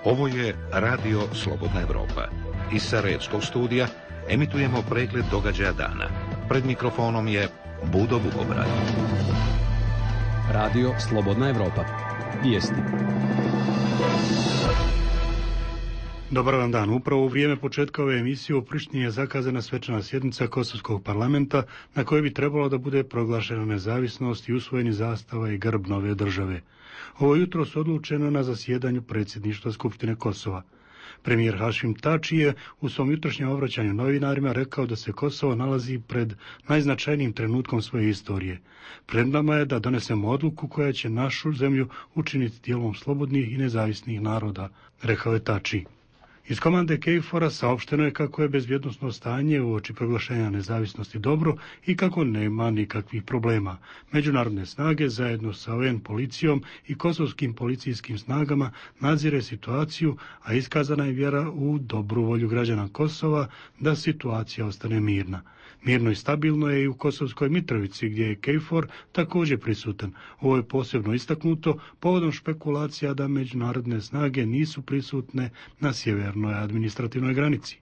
Ovo je Radio Slobodna Evropa. Iz Sarajevskog studija emitujemo pregled događaja dana. Pred mikrofonom je Budo Bugobrad. Radio Slobodna Evropa. Vijesti. Dobar vam dan. Upravo u vrijeme početka ove emisije u Prištini je zakazana svečana sjednica Kosovskog parlamenta na kojoj bi trebalo da bude proglašena nezavisnost i usvojeni zastava i grb nove države. Ovo jutro su odlučeno na zasjedanju predsjedništva Skupštine Kosova. Premijer Hašim Tači je u svom jutrošnjem obraćanju novinarima rekao da se Kosovo nalazi pred najznačajnijim trenutkom svoje istorije. Pred nama je da donesemo odluku koja će našu zemlju učiniti dijelom slobodnih i nezavisnih naroda, rekao je Tači. Iz komande KFOR-a saopšteno je kako je bezbjednosno stanje uoči proglašenja nezavisnosti dobro i kako nema nikakvih problema. Međunarodne snage zajedno sa UN policijom i kosovskim policijskim snagama nadzire situaciju, a iskazana je vjera u dobru volju građana Kosova da situacija ostane mirna. Mirno i stabilno je i u Kosovskoj Mitrovici, gdje je KFOR također prisutan. Ovo je posebno istaknuto povodom špekulacija da međunarodne snage nisu prisutne na sjevernoj administrativnoj granici.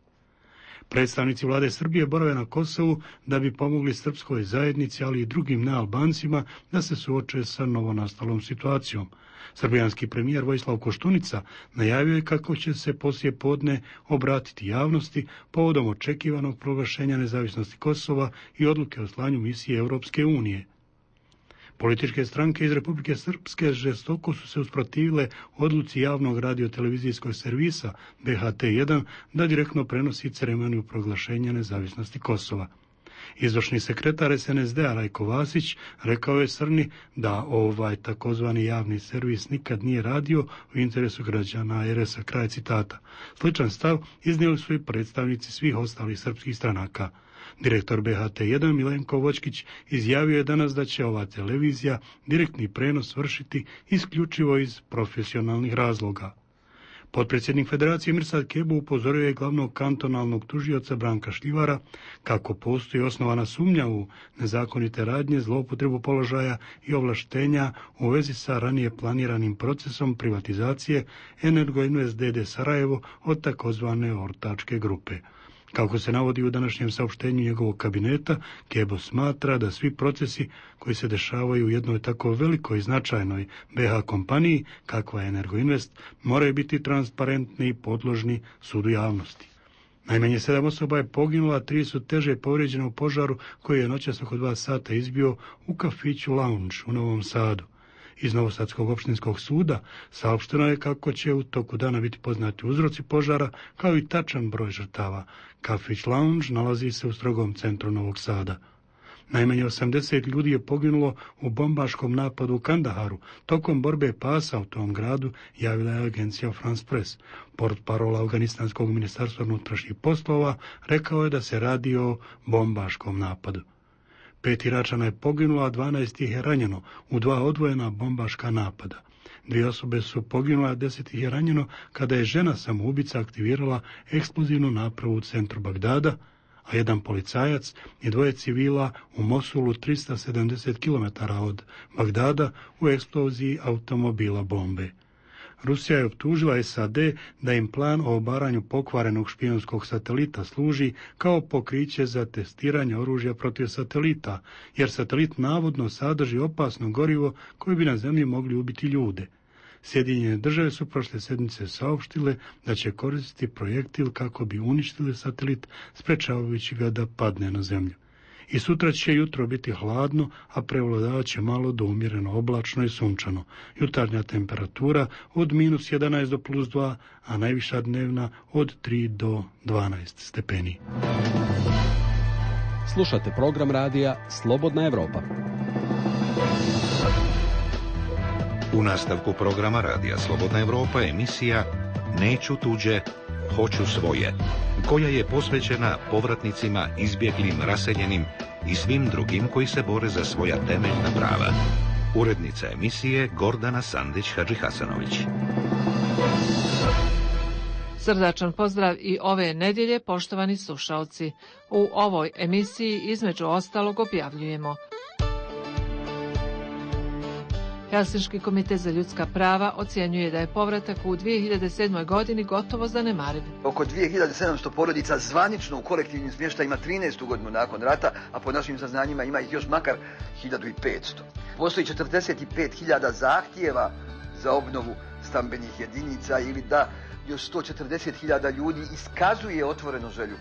Predstavnici vlade Srbije borave na Kosovu da bi pomogli srpskoj zajednici, ali i drugim nealbancima da se suoče sa novonastalom situacijom. Srbijanski premijer Vojislav Koštunica najavio je kako će se poslije podne obratiti javnosti povodom očekivanog proglašenja nezavisnosti Kosova i odluke o slanju misije Europske unije. Političke stranke iz Republike Srpske žestoko su se usprotivile odluci javnog radiotelevizijskog servisa BHT1 da direktno prenosi ceremoniju proglašenja nezavisnosti Kosova. Izvršni sekretar SNSD-a Rajko Vasić rekao je Srni da ovaj takozvani javni servis nikad nije radio u interesu građana RS-a, kraj citata. Sličan stav iznijeli su i predstavnici svih ostalih srpskih stranaka. Direktor BHT1 Milenko Vočkić izjavio je danas da će ova televizija direktni prenos vršiti isključivo iz profesionalnih razloga. Potpredsjednik Federacije Mirsad Kebo upozorio je glavnog kantonalnog tužioca Branka Šljivara kako postoji osnovana sumnja u nezakonite radnje, zloupotrebu položaja i ovlaštenja u vezi sa ranije planiranim procesom privatizacije Energoinvest d.d. Sarajevo od takozvane ortačke grupe. Kako se navodi u današnjem saopštenju njegovog kabineta, Kebo smatra da svi procesi koji se dešavaju u jednoj tako velikoj i značajnoj BH kompaniji, kakva je Energoinvest, moraju biti transparentni i podložni sudu javnosti. Najmanje 7 osoba je poginulo, a 3 su teže povrijeđene u požaru koji je noćas oko 2 sata izbio u kafiću Lounge u Novom Sadu. Iz Novosadskog opštinskog suda saopšteno je kako će u toku dana biti poznati uzroci požara, kao i tačan broj žrtava. Kafić Lounge nalazi se u strogom centru Novog Sada. Najmanje 80 ljudi je poginulo u bombaškom napadu u Kandaharu. Tokom borbe pasa u tom gradu javila je agencija France Press. Portparola Afganistanskog ministarstva unutrašnjih poslova rekao je da se radi o bombaškom napadu. 5 Iračana je poginulo, a 12 ih je ranjeno u 2 odvojena bombaška napada. 2 osobe su poginule, a 10 ih je ranjeno kada je žena samoubica aktivirala eksplozivnu napravu u centru Bagdada, a 1 policajac i 2 civila u Mosulu 370 km od Bagdada u eksploziji automobila bombe. Rusija je optužila SAD da im plan o obaranju pokvarenog špijunskog satelita služi kao pokriće za testiranje oružja protiv satelita, jer satelit navodno sadrži opasno gorivo koje bi na zemlji mogli ubiti ljude. Sjedinjene države su prošle sedmice saopštile da će koristiti projektil kako bi uništili satelit, sprečavajući ga da padne na zemlju. I sutra će jutro biti hladno, a prevladavat će malo do umjereno oblačno i sunčano. Jutarnja temperatura od -11 do +2, a najviša dnevna od 3 do 12 stepeni. Slušate program radija Slobodna Evropa. U nastavku programa radija Slobodna Evropa emisija Neću tuđe, hoću svoje, koja je posvećena povratnicima, izbjeglim, raseljenim i svim drugim koji se bore za svoja temeljna prava. Urednica emisije Gordana Sandić-Hadžihasanović. Srdačan pozdrav i ove nedjelje, poštovani slušaoci. U ovoj emisiji između ostalog objavljujemo: Helsinški komitet za ljudska prava ocjenjuje da je povratak u 2007. godini gotovo zanemariv. Oko 2700 porodica zvanično u kolektivnim smještajima 13. godinu nakon rata, a po našim saznanjima ima ih još makar 1500. Postoji 45.000 zahtjeva za obnovu stambenih jedinica ili da još 140.000 ljudi iskazuje otvoreno želju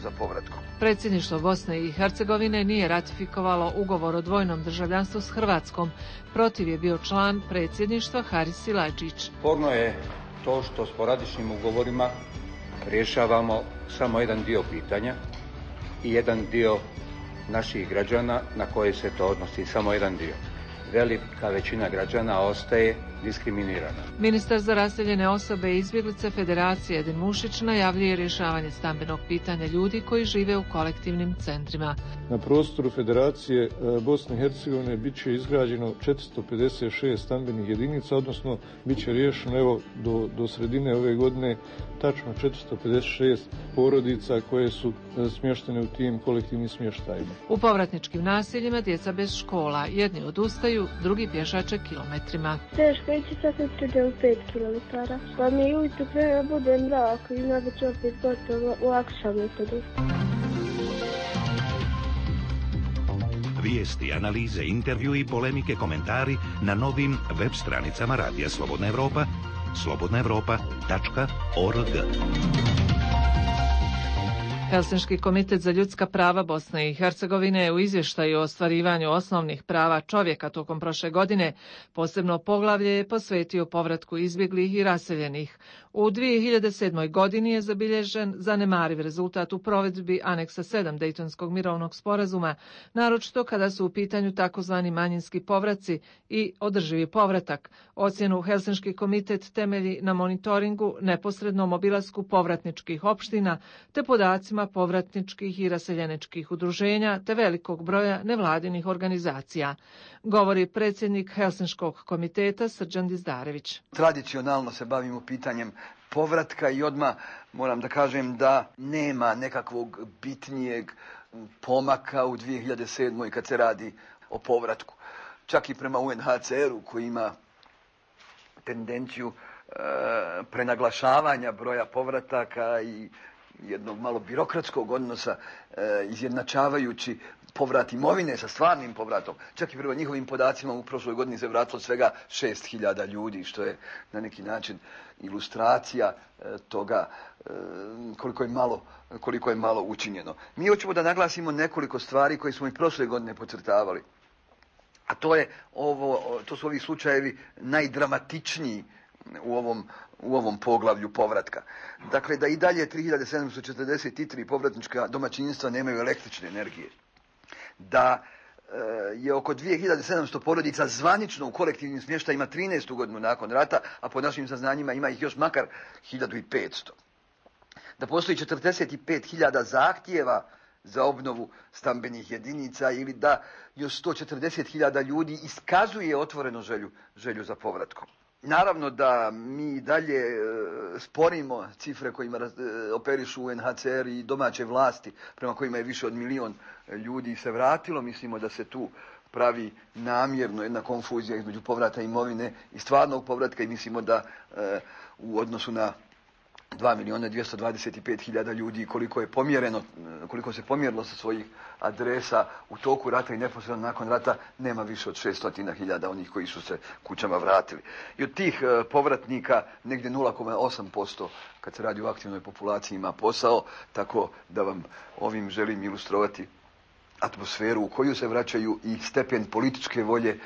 za povratkom. Predsjedništvo Bosne i Hercegovine nije ratifikovalo ugovor o dvojnom državljanstvu s Hrvatskom. Protiv je bio član predsjedništva Haris Silajdžić. Sporno je to što sporadičnim ugovorima rješavamo samo jedan dio pitanja i jedan dio naših građana na koje se to odnosi samo jedan dio. Velika većina građana ostaje diskriminirana. Ministar za raseljene osobe i izbjeglice Federacije Edin Mušić najavljuje rješavanje stambenog pitanja ljudi koji žive u kolektivnim centrima. Na prostoru Federacije Bosne i Hercegovine bit će izgrađeno 456 stambenih jedinica, odnosno bit će riješeno evo do sredine ove godine tačno 456 porodica koje su smještene u tim kolektivnim smještajima. U povratničkim naseljima djeca bez škola, jedni odustaju, drugi pješače kilometrima. Teško ići sad sutra u 5 km. Pa mi ujutro prema bude mrak i onda ću opet gotovo u akšam metodu. Vijesti, analize, intervjui, polemike, komentari na novim web stranicama Radija Slobodna Evropa, slobodnaevropa.org. Helsinški komitet za ljudska prava Bosne i Hercegovine je u izvještaju o ostvarivanju osnovnih prava čovjeka tokom prošle godine posebno poglavlje je posvetio povratku izbjeglih i raseljenih. U 2007. godini je zabilježen zanemariv rezultat u provedbi aneksa 7 Dejtonskog mirovnog sporazuma, naročito kada su u pitanju takozvani manjinski povraci i održivi povratak. Ocjenu Helsinški komitet temelji na monitoringu, neposrednom obilasku povratničkih opština te podacima povratničkih i raseljeničkih udruženja te velikog broja nevladinih organizacija, govori predsjednik Helsinškog komiteta Srđan Dizdarević. Tradicionalno se bavimo pitanjem povratka i odmah moram da kažem da nema nekakvog bitnijeg pomaka u 2007. kad se radi o povratku. Čak i prema UNHCR-u koji ima tendenciju prenaglašavanja broja povrataka i jednog malo birokratskog odnosa izjednačavajući povrat imovine sa stvarnim povratom. Čak i prema njihovim podacima u prošloj godini se vratilo svega 6.000 ljudi, što je na neki način ilustracija toga koliko je malo učinjeno. Mi hoćemo da naglasimo nekoliko stvari koje smo i prošle godine podcrtavali. A to su ovi slučajevi najdramatičniji u ovom poglavlju povratka. Dakle, da i dalje 3743 povratnička domaćinstva nemaju električne energije. Da je oko 2700 porodica zvanično u kolektivnim smještajima 13. godinu nakon rata, a po našim saznanjima ima ih još makar 1500. Da postoji 45.000 zahtjeva za obnovu stambenih jedinica ili da još 140.000 ljudi iskazuje otvoreno želju za povratkom. Naravno da mi dalje sporimo cifre kojima operišu UNHCR i domaće vlasti, prema kojima je više od 1 milion ljudi se vratilo. Mislimo da se tu pravi namjerno jedna konfuzija između povrata imovine i stvarnog povratka i mislimo da u odnosu na 2.225.000 ljudi koliko se pomjerilo sa svojih adresa u toku rata i neposredno nakon rata, nema više od 600.000 onih koji su se kućama vratili. I od tih povratnika negdje 0,8% kad se radi o aktivnoj populaciji ima posao, tako da vam ovim želim ilustrovati atmosferu u koju se vraćaju i stepen političke volje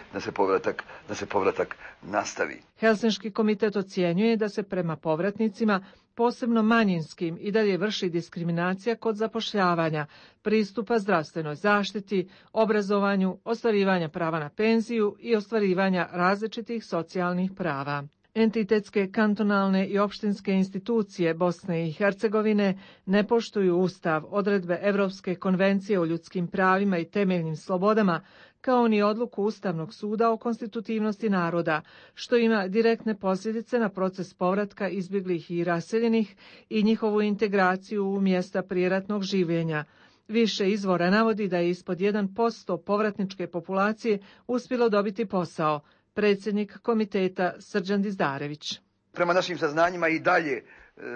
da se povratak nastavi. Helsinški komitet ocjenjuje da se prema povratnicima, posebno manjinskim, i dalje vrši diskriminacija kod zapošljavanja, pristupa zdravstvenoj zaštiti, obrazovanju, ostvarivanja prava na penziju i ostvarivanja različitih socijalnih prava. Entitetske, kantonalne i opštinske institucije Bosne i Hercegovine ne poštuju Ustav, odredbe Evropske konvencije o ljudskim pravima i temeljnim slobodama, kao ni odluku Ustavnog suda o konstitutivnosti naroda, što ima direktne posljedice na proces povratka izbjeglih i raseljenih i njihovu integraciju u mjesta prijeratnog življenja. Više izvora navodi da je ispod 1% povratničke populacije uspjelo dobiti posao, predsjednik komiteta Srđan Dizdarević. Prema našim saznanjima i dalje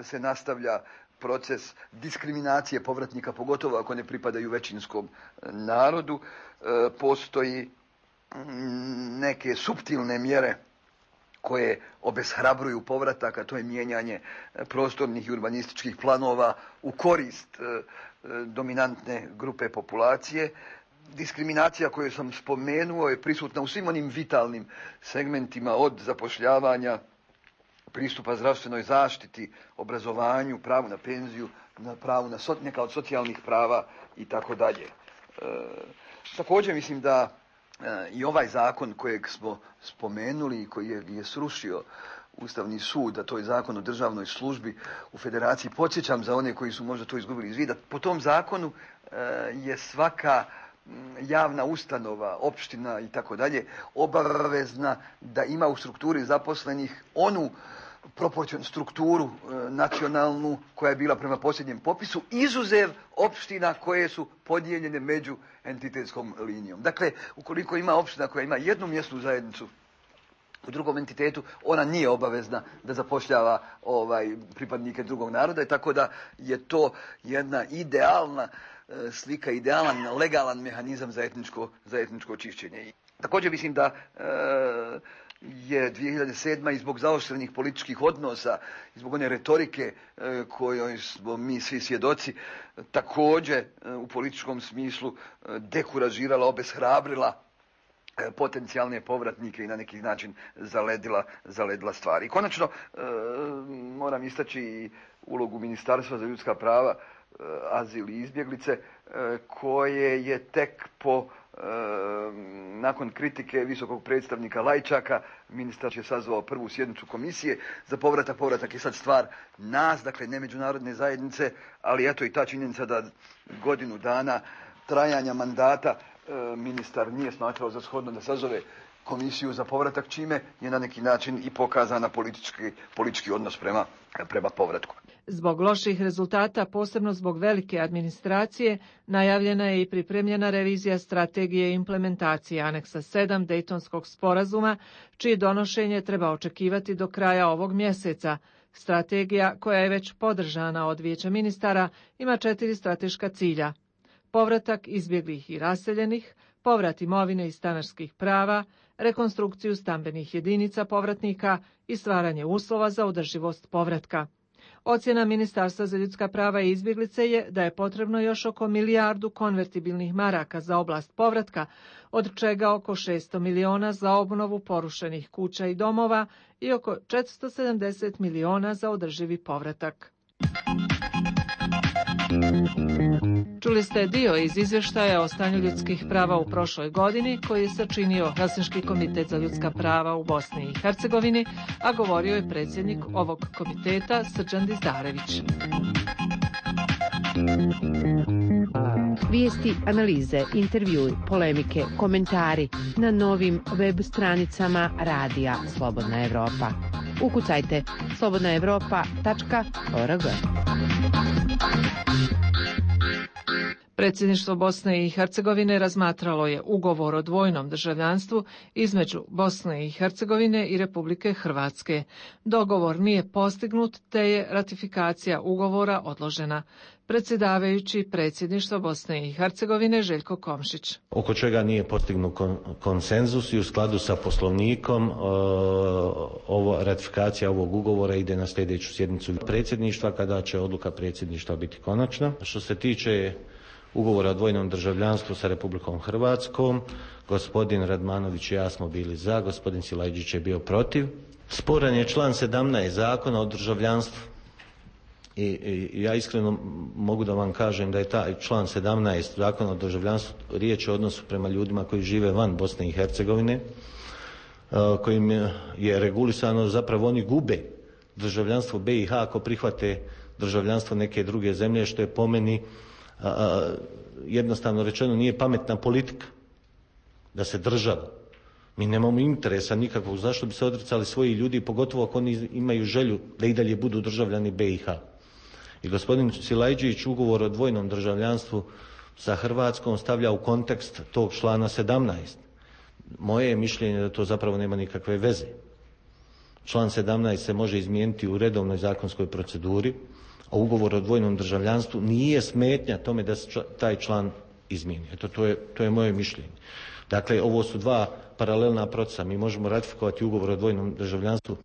se nastavlja proces diskriminacije povratnika, pogotovo ako ne pripadaju većinskom narodu. Postoji neke suptilne mjere koje obeshrabruju povratak, a to je mijenjanje prostornih i urbanističkih planova u korist dominantne grupe populacije. Diskriminacija koju sam spomenuo je prisutna u svim onim vitalnim segmentima, od zapošljavanja, pristupa zdravstvenoj zaštiti, obrazovanju, pravu na penziju, na pravu na neka od socijalnih prava i tako dalje. Također mislim da i ovaj zakon kojeg smo spomenuli i koji je srušio Ustavni sud, a to je zakon o državnoj službi u Federaciji, podsjećam za one koji su možda to izgubili iz vida, po tom zakonu je svaka javna ustanova, opština i tako dalje obavezna da ima u strukturi zaposlenih onu proporcionu strukturu nacionalnu koja je bila prema posljednjem popisu, izuzev opština koje su podijeljene među entitetskom linijom. Dakle, ukoliko ima opština koja ima jednu mjesnu zajednicu u drugom entitetu, ona nije obavezna da zapošljava pripadnike drugog naroda, i tako da je to jedna idealna slika, idealan, legalan mehanizam za etničko čišćenje. Također mislim da je 2007. i zbog zaoštrenih političkih odnosa, i zbog one retorike kojoj smo mi svi svjedoci, također u političkom smislu dekuražirala, obeshrabrila potencijalne povratnike i na neki način zaledila stvari. I konačno moram istaći i ulogu Ministarstva za ljudska prava, azil i izbjeglice, koje je tek nakon kritike visokog predstavnika Lajčaka, ministar je sazvao prvu sjednicu komisije za povratak. Povratak je sad stvar nas, dakle ne međunarodne zajednice, ali eto i ta činjenica da godinu dana trajanja mandata ministar nije smatrao za shodno da sazove komisiju za povratak, čime je na neki način i pokazana politički odnos prema povratku. Zbog loših rezultata, posebno zbog velike administracije, najavljena je i pripremljena revizija strategije implementacije aneksa 7 Dejtonskog sporazuma, čije donošenje treba očekivati do kraja ovog mjeseca. Strategija, koja je već podržana od Vijeća ministara, ima 4 strateška cilja: povratak izbjeglih i raseljenih, povrat imovine i stanarskih prava, rekonstrukciju stambenih jedinica povratnika i stvaranje uslova za održivost povratka. Ocjena Ministarstva za ljudska prava i izbjeglice je da je potrebno još oko 1 milijardu konvertibilnih maraka za oblast povratka, od čega oko 600 miliona za obnovu porušenih kuća i domova i oko 470 miliona za održivi povratak. Čuli ste dio iz izvještaja o stanju ljudskih prava u prošloj godini koji je sačinio Helsinški komitet za ljudska prava u Bosni i Hercegovini, a govorio je predsjednik ovog komiteta Srđan Dizdarević. Vijesti, analize, intervjui, polemike, komentari na novim web stranicama Radija Slobodna Evropa. Ukucajte slobodnaevropa.org. Predsjedništvo Bosne i Hercegovine razmatralo je ugovor o dvojnom državljanstvu između Bosne i Hercegovine i Republike Hrvatske. Dogovor nije postignut, te je ratifikacija ugovora odložena. Predsjedavajući predsjedništva Bosne i Hercegovine Željko Komšić. Oko čega nije postignut konsenzus i u skladu sa Poslovnikom ratifikacija ovog ugovora ide na sljedeću sjednicu predsjedništva, kada će odluka predsjedništva biti konačna. Što se tiče ugovora o dvojnom državljanstvu sa Republikom Hrvatskom, gospodin Radmanović i ja smo bili za, gospodin Silajđić je bio protiv. Sporan je član 17 Zakona o državljanstvu i ja iskreno mogu da vam kažem da je taj član 17 Zakona o državljanstvu riječ o odnosu prema ljudima koji žive van Bosne i Hercegovine, kojim je regulisano zapravo oni gube državljanstvo BiH ako prihvate državljanstvo neke druge zemlje, što je po meni jednostavno rečeno nije pametna politika da se država. Mi nemamo interesa nikakvog zašto bi se odricali svoji ljudi, pogotovo ako oni imaju želju da i dalje budu državljani BiH. I gospodin Silajđić ugovor o dvojnom državljanstvu sa Hrvatskom stavlja u kontekst tog člana 17. Moje je mišljenje da to zapravo nema nikakve veze. Član 17 se može izmijeniti u redovnoj zakonskoj proceduri, a ugovor o dvojnom državljanstvu nije smetnja tome da se taj član izmijeni. Eto, to je moje mišljenje. Dakle, ovo su dva paralelna procesa. Mi možemo ratifikovati ugovor o dvojnom državljanstvu,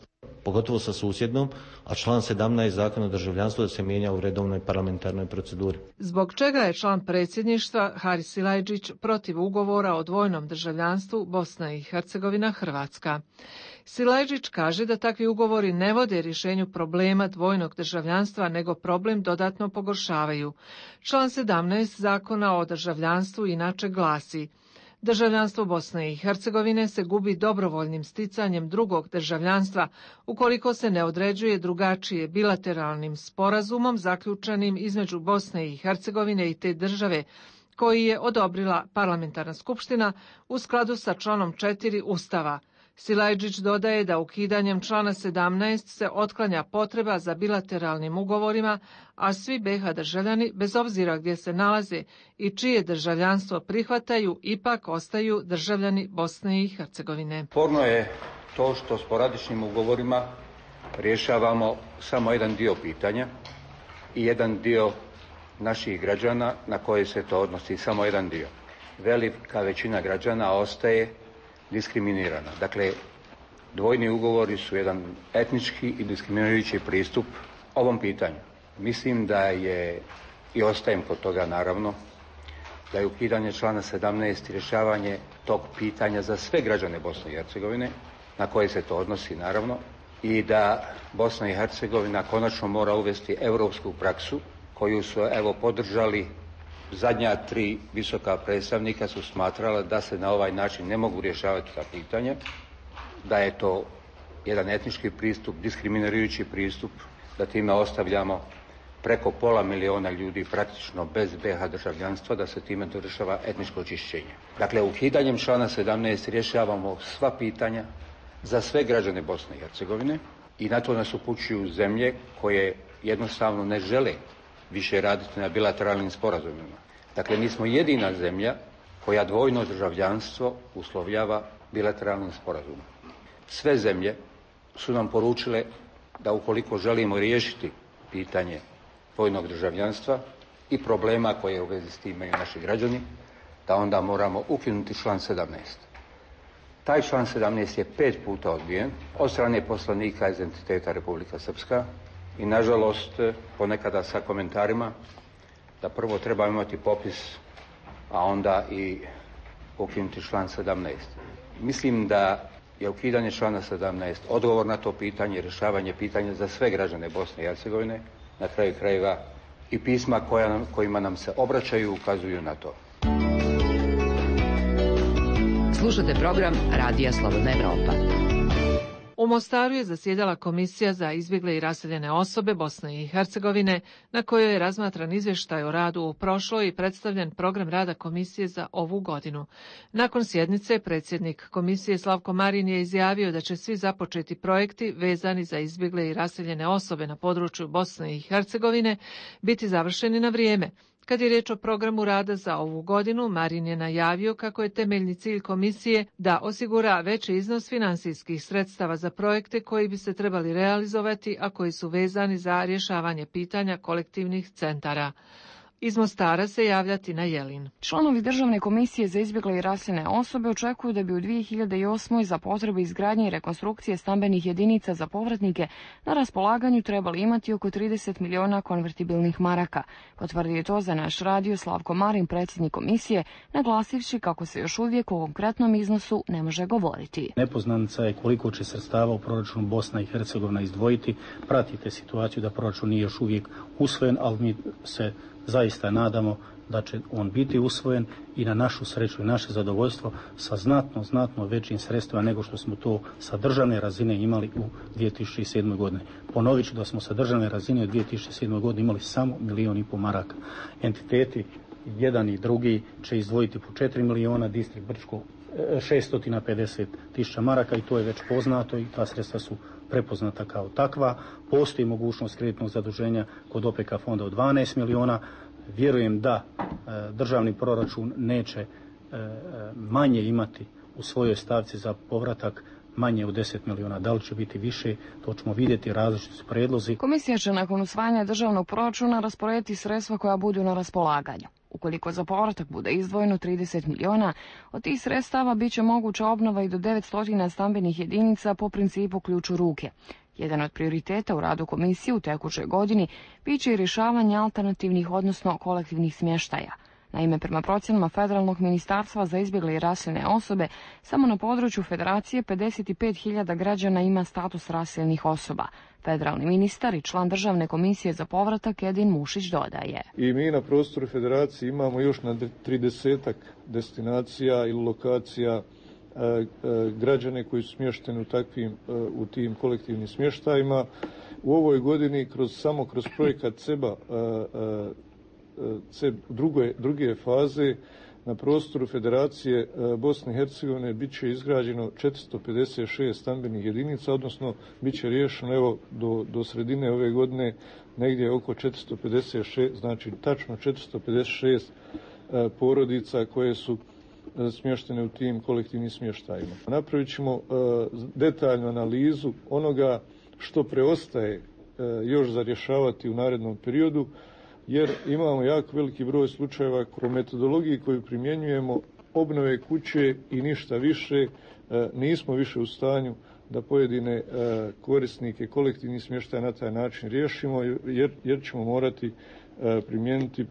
pogotovo sa susjednom, a član 17 Zakona o državljanstvu da se mijenja u redovnoj parlamentarnoj proceduri. Zbog čega je član predsjedništva Haris Silajdžić protiv ugovora o dvojnom državljanstvu Bosna i Hercegovina Hrvatska? Silajdžić kaže da takvi ugovori ne vode rješenju problema dvojnog državljanstva, nego problem dodatno pogoršavaju. Član 17 Zakona o državljanstvu inače glasi: državljanstvo Bosne i Hercegovine se gubi dobrovoljnim sticanjem drugog državljanstva ukoliko se ne određuje drugačije bilateralnim sporazumom zaključenim između Bosne i Hercegovine i te države, koji je odobrila parlamentarna skupština u skladu sa članom 4 Ustava. Silajdžić dodaje da ukidanjem člana 17 se otklanja potreba za bilateralnim ugovorima, a svi BiH državljani, bez obzira gdje se nalaze i čije državljanstvo prihvataju, ipak ostaju državljani Bosne i Hercegovine. Sporno je to što sporadičnim ugovorima rješavamo samo jedan dio pitanja i jedan dio naših građana na koje se to odnosi, samo jedan dio. Velika većina građana ostaje diskriminirana. Dakle, dvojni ugovori su jedan etnički i diskriminirajući pristup ovom pitanju. Mislim da je, i ostajem kod toga naravno, da je ukidanje člana 17 rješavanje tog pitanja za sve građane Bosne i Hercegovine, na koje se to odnosi naravno, i da Bosna i Hercegovina konačno mora uvesti europsku praksu koju su podržali zadnja 3 visoka predstavnika su smatrala da se na ovaj način ne mogu rješavati ta pitanja, da je to jedan etnički pristup, diskriminirajući pristup, da time ostavljamo preko 500 milijuna ljudi praktično bez BiH državljanstva, da se time dešava etničko očišćenje. Dakle, ukidanjem člana 17 rješavamo sva pitanja za sve građane Bosne i Hercegovine i na to nas upućuju zemlje koje jednostavno ne žele više raditi na bilateralnim sporazumima. Dakle, mi smo jedina zemlja koja dvojno državljanstvo uslovljava bilateralnim sporazumom. Sve zemlje su nam poručile da ukoliko želimo riješiti pitanje dvojnog državljanstva i problema koje u vezi s tim imaju naši građani, da onda moramo ukinuti član 17. Taj član 17 je 5 puta odbijen od strane poslanika iz entiteta Republika Srpska i nažalost ponekada sa komentarima da prvo treba imati popis, a onda i ukinuti član 17. Mislim da je ukidanje člana 17 odgovor na to pitanje, rješavanje pitanja za sve građane Bosne i Hercegovine, na kraju krajeva i pisma kojima nam se obraćaju ukazuju na to. Slušate program Radija Slobodna Evropa. U Mostaru je zasjedala Komisija za izbjegle i raseljene osobe Bosne i Hercegovine, na kojoj je razmatran izvještaj o radu u prošloj i predstavljen program rada Komisije za ovu godinu. Nakon sjednice, predsjednik Komisije Slavko Marin je izjavio da će svi započeti projekti vezani za izbjegle i raseljene osobe na području Bosne i Hercegovine biti završeni na vrijeme. Kad je riječ o programu rada za ovu godinu, Marin je najavio kako je temeljni cilj komisije da osigura veći iznos financijskih sredstava za projekte koji bi se trebali realizovati, a koji su vezani za rješavanje pitanja kolektivnih centara. Iz Mostara se javlja Tina Jelin. Članovi Državne komisije za izbjegle i raseljene osobe očekuju da bi u 2008. za potrebe izgradnje i rekonstrukcije stambenih jedinica za povratnike na raspolaganju trebali imati oko 30 miliona konvertibilnih maraka. Potvrdio je to za naš radio Slavko Marin, predsjednik komisije, naglasivši kako se još uvijek o konkretnom iznosu ne može govoriti. Nepoznanica je koliko će sredstava u proračunu Bosna i Hercegovina izdvojiti. Pratite situaciju da proračun nije još uvijek usvojen, ali mi se zaista nadamo da će on biti usvojen i na našu sreću i naše zadovoljstvo sa znatno većim sredstvima nego što smo to sa državne razine imali u 2007. godine. Ponovit ću da smo sa državne razine u 2007. godine imali samo 1,5 milijuna maraka. Entiteti jedan i drugi će izdvojiti po 4 miliona, distrikt Brčko 650.000 maraka i to je već poznato i ta sredstva su prepoznata kao takva. Postoji mogućnost kreditnog zaduženja kod OPK fonda od 12 miliona. Vjerujem da državni proračun neće manje imati u svojoj stavci za povratak manje od 10 miliona. Da li će biti više, to ćemo vidjeti, različiti su predlozi. Komisija će nakon usvajanja državnog proračuna rasporediti sredstva koja budu na raspolaganju. Ukoliko za povratak bude izdvojeno 30 miliona, od tih sredstava bit će moguća obnova i do 900 stambenih jedinica po principu ključ u ruke. Jedan od prioriteta u radu komisije u tekućoj godini bit će i rješavanje alternativnih, odnosno kolektivnih smještaja. Naime, prema procjenama Federalnog ministarstva za izbjegle i raseljene osobe, samo na području Federacije 55.000 građana ima status raseljenih osoba. Federalni ministar i član Državne komisije za povratak Edin Mušić dodaje. I mi na prostoru Federacije imamo još na 30 destinacija ili lokacija građane koji su smješteni u tim kolektivnim smještajima. U ovoj godini samo kroz projekat CEBA druge faze na prostoru Federacije Bosne i Hercegovine bit će izgrađeno 456 stambenih jedinica, odnosno bit će riješeno do sredine ove godine negdje oko 456, znači tačno 456 porodica koje su smještene u tim kolektivnim smještajima. Napravit ćemo detaljnu analizu onoga što preostaje još za rješavati u narednom periodu, jer imamo jako veliki broj slučajeva po metodologiji koju primjenjujemo obnove kuće i ništa više. Nismo više u stanju da pojedine korisnike kolektivnih smještaja na taj način riješimo, jer ćemo morati primijeniti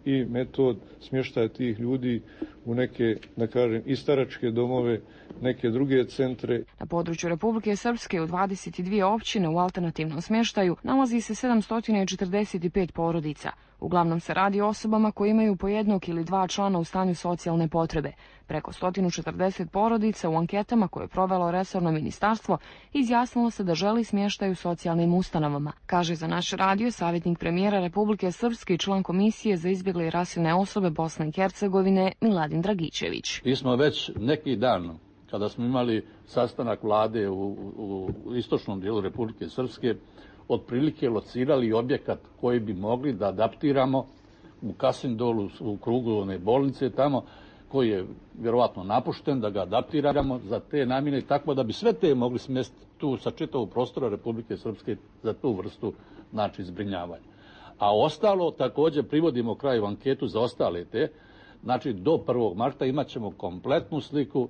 i metod smještaja tih ljudi u neke, da kažem, i staračke domove, neke druge centre. Na području Republike Srpske u 22 općine u alternativnom smještaju nalazi se 745 porodica. Uglavnom se radi o osobama koji imaju po jednog ili dva člana u stanju socijalne potrebe. Preko 140 porodica u anketama koje je provelo resorno ministarstvo izjasnilo se da želi smještaj u socijalnim ustanovama, kaže za naš radio savjetnik premijera Republike Srpske i član Komisije za izbjegle i raseljene osobe Bosne i Hercegovine Miladin Dragičević. Mi smo već neki dan, kada smo imali sastanak vlade u istočnom dijelu Republike Srpske, otprilike locirali objekat koji bi mogli da adaptiramo u Kasindolu, u krugu one bolnice tamo, koji je vjerovatno napušten, da ga adaptiramo za te namjene, tako da bi sve te mogli smjestiti tu sa čitavog prostora Republike Srpske za tu vrstu, znači, zbrinjavanja. A ostalo također privodimo kraju anketu za ostale te, znači do 1. marta imat ćemo kompletnu sliku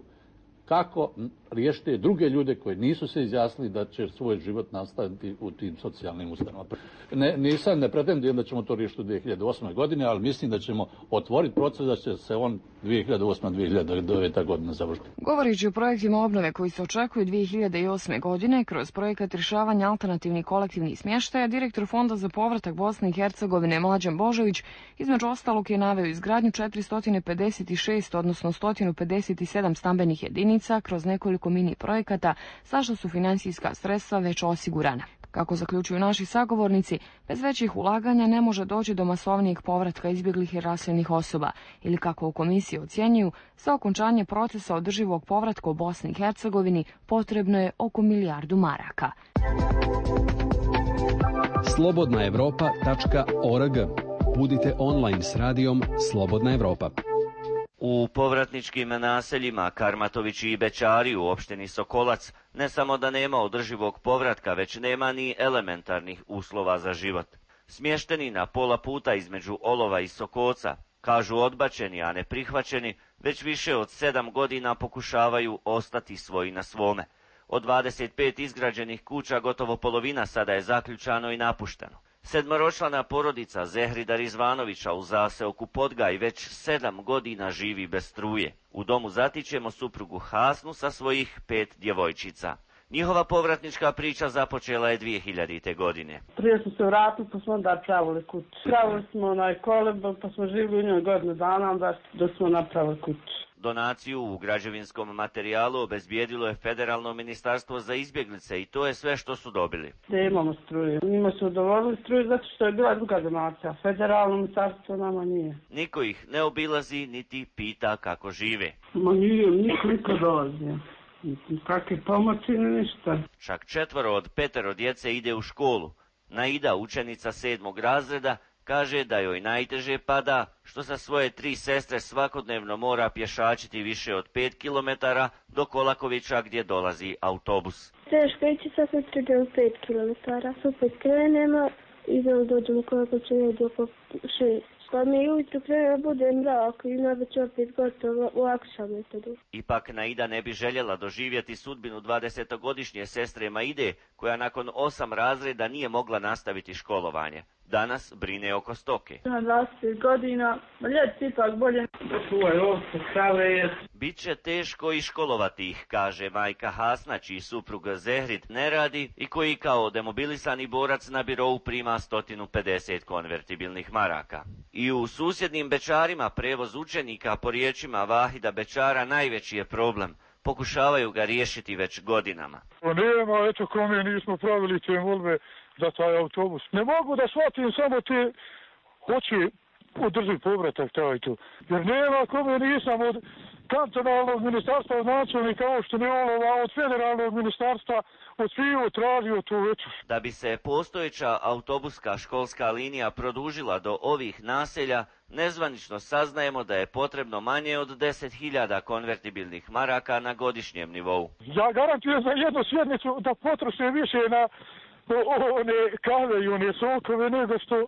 kako riješiti druge ljude koji nisu se izjasnili da će svoj život nastaviti u tim socijalnim ustanovama. Ne pretendujem da ćemo to riješiti u 2008. godine, ali mislim da ćemo otvoriti proces da će se on 2008-2009. godina završiti. Govorići o projektima obnove koji se očekuju 2008. godine, kroz projekat rješavanja alternativnih kolektivnih smještaja, direktor Fonda za povratak Bosne i Hercegovine Mlađan Božović između ostalog je naveo izgradnju 456, odnosno 157 stambenih jedinica kroz nekoliko mini projekata, za što su financijska sredstva već osigurana. Kako zaključuju naši sagovornici, bez većih ulaganja ne može doći do masovnijeg povratka izbjeglih i raseljenih osoba, ili kako u komisiji ocjenjuju, za okončanje procesa održivog povratka u Bosni i Hercegovini potrebno je oko 1 milijardu maraka. slobodnaevropa.org. Budite online s radijom Slobodna Evropa. U povratničkim naseljima Karmatovići i Bećari u opštini Sokolac ne samo da nema održivog povratka, već nema ni elementarnih uslova za život. Smješteni na pola puta između Olova i Sokoca, kažu odbačeni, a ne prihvaćeni, već više od 7 godina pokušavaju ostati svoji na svome. Od 25 izgrađenih kuća gotovo polovina sada je zaključano i napušteno. 7-člana porodica Zehrida Rizvanovića u zaseoku Podgaj već 7 godina živi bez struje. U domu zatičemo suprugu Hasnu sa svojih 5 djevojčica. Njihova povratnička priča započela je 2000. godine. Prije smo se vratili, pa smo onda pravili kuću. Pravili smo kolebel, pa smo živjeli u njoj godinu dana, onda smo napravili kuću. Donaciju u građevinskom materijalu obezbijedilo je Federalno ministarstvo za izbjeglice i to je sve što su dobili. Imamo struju. Njima su udovoljili struju zato što je bila druga donacija. Federalno ministarstvo nama nije. Niko ih ne obilazi niti pita kako žive. Niko dolazi. Kakve pomoći, ništa. Čak 4 od 5 djece ide u školu. Naida, učenica 7. razreda, kaže da joj najteže pada što sa svoje 3 sestre svakodnevno mora pješačiti više od 5 kilometara do Kolakovića gdje dolazi autobus. Teško ići sa sestri do 5 kilometara. Opet krenemo i dođemo Kolakovića negdje oko 6. Pa mi ujutru krene bude mrak i već opet gotovo u akšametu. Ipak Naida ne bi željela doživjeti sudbinu 20-godišnje sestre Maide, koja nakon 8 razreda nije mogla nastaviti školovanje. Danas brine oko stoke. 20 godina, ljeti ipak bolje. Biće teško i školovati ih, kaže majka Hasna, čiji suprug Zehrid ne radi i koji kao demobilisani borac na birou prima 150 konvertibilnih maraka. I u susjednim Bečarima prevoz učenika, po riječima Vahida Bečara, najveći je problem. Pokušavaju ga riješiti već godinama. Nema, eto kome nismo pravili te molbe za taj autobus. Ne mogu da shvatim samo te hoće održiti povratak taj tu. Jer nema kome nisam od kantonalnog ministarstva, od načelnika opštine, od federalnog ministarstva, od sviju tražio tu već. Da bi se postojeća autobuska školska linija produžila do ovih naselja, nezvanično saznajemo da je potrebno manje od 10.000 konvertibilnih maraka na godišnjem nivou. Ja garantujem za jednu sjednicu da potroše više na one kave i one sokove nego što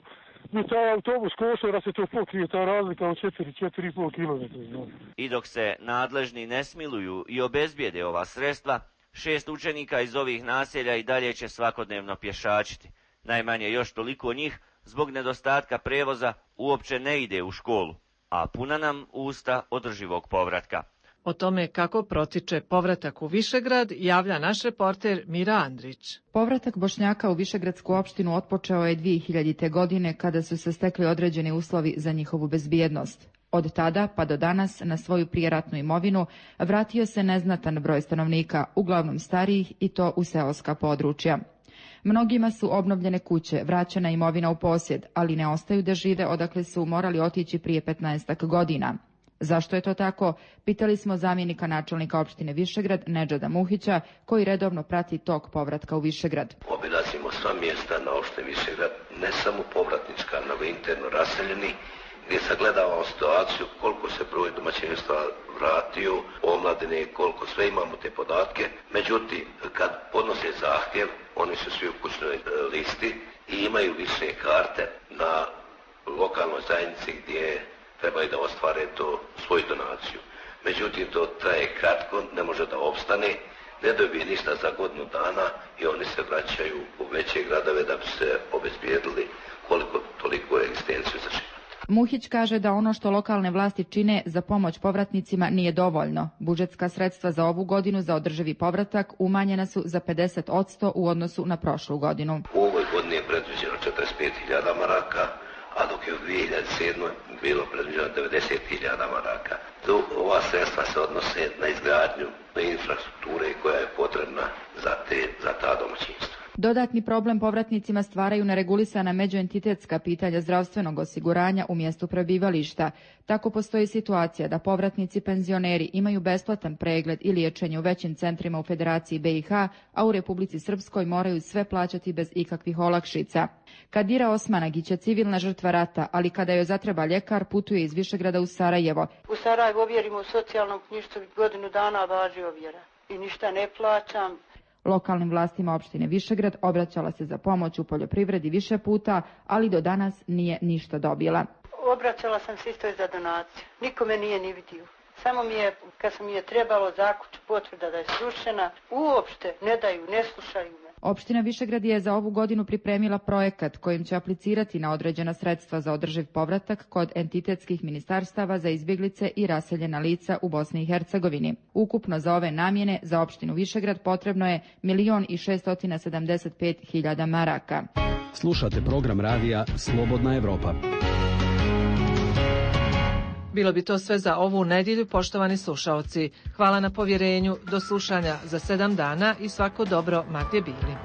mi taj autobus košta da se to pokrije, ta razlika od 4,5 km. I dok se nadležni ne smiluju i obezbijede ova sredstva, 6 učenika iz ovih naselja i dalje će svakodnevno pješačiti. Najmanje još toliko njih zbog nedostatka prevoza uopće ne ide u školu, a puna nam usta održivog povratka. O tome kako protiče povratak u Višegrad javlja naš reporter Mira Andrić. Povratak Bošnjaka u Višegradsku opštinu otpočeo je 2000. godine kada su se stekli određeni uslovi za njihovu bezbjednost. Od tada pa do danas na svoju prijeratnu imovinu vratio se neznatan broj stanovnika, uglavnom starijih i to u seoska područja. Mnogima su obnovljene kuće, vraćena imovina u posjed, ali ne ostaju da žive odakle su morali otići prije 15 godina. Zašto je to tako? Pitali smo zamjenika načelnika opštine Višegrad, Nedžada Muhića, koji redovno prati tok povratka u Višegrad. Obilazimo sva mjesta na opštini Višegrad, ne samo povratnička, nego interno raseljeni, gdje sagledavamo situaciju koliko se broj domaćinstva vratio, omladine, koliko sve imamo te podatke. Međutim, kad podnose zahtjev, oni su svi u kućnoj listi i imaju lične karte na lokalnoj zajednici gdje trebaju da ostvare to svoju donaciju. Međutim, to traje kratko, ne može da opstane, ne dobije ništa za godinu dana i oni se vraćaju u veće gradove da bi se obezbijedili koliko toliko egzistenciju za život. Muhić kaže da ono što lokalne vlasti čine za pomoć povratnicima nije dovoljno. Budžetska sredstva za ovu godinu za održivi povratak umanjena su za 50% u odnosu na prošlu godinu. U ovoj godini je predviđeno 45.000 maraka, a dok je u 2007. bilo predviđeno 90.000 maraka. Ova sredstva se odnose na izgradnju infrastrukture koja je potrebna za ta domaćinstva. Dodatni problem povratnicima stvaraju neregulisana međuentitetska pitanja zdravstvenog osiguranja u mjestu prebivališta. Tako postoji situacija da povratnici penzioneri imaju besplatan pregled i liječenje u većim centrima u Federaciji BiH, a u Republici Srpskoj moraju sve plaćati bez ikakvih olakšica. Kadira Osmanagić je civilna žrtva rata, ali kada joj zatreba ljekar, putuje iz Višegrada u Sarajevo. U Sarajevu ovjerimo u socijalnom knjižstvu godinu dana važi ovjera i ništa ne plaćam. Lokalnim vlastima opštine Višegrad obraćala se za pomoć u poljoprivredi više puta, ali do danas nije ništa dobila. Obraćala sam se isto za donaciju. Niko me nije ni vidio. Samo mi je, kad sam mi je trebalo za kuću potvrda da je srušena, uopšte ne daju, ne slušaju me. Opština Višegrad je za ovu godinu pripremila projekat kojim će aplicirati na određena sredstva za održiv povratak kod entitetskih ministarstava za izbjeglice i raseljena lica u Bosni i Hercegovini. Ukupno za ove namjene za opštinu Višegrad potrebno je 1.675.000 maraka. Slušate program radija Slobodna Evropa. Bilo bi to sve za ovu nedjelju, poštovani slušaoci. Hvala na povjerenju, do slušanja za 7 dana i svako dobro ma gdje bili.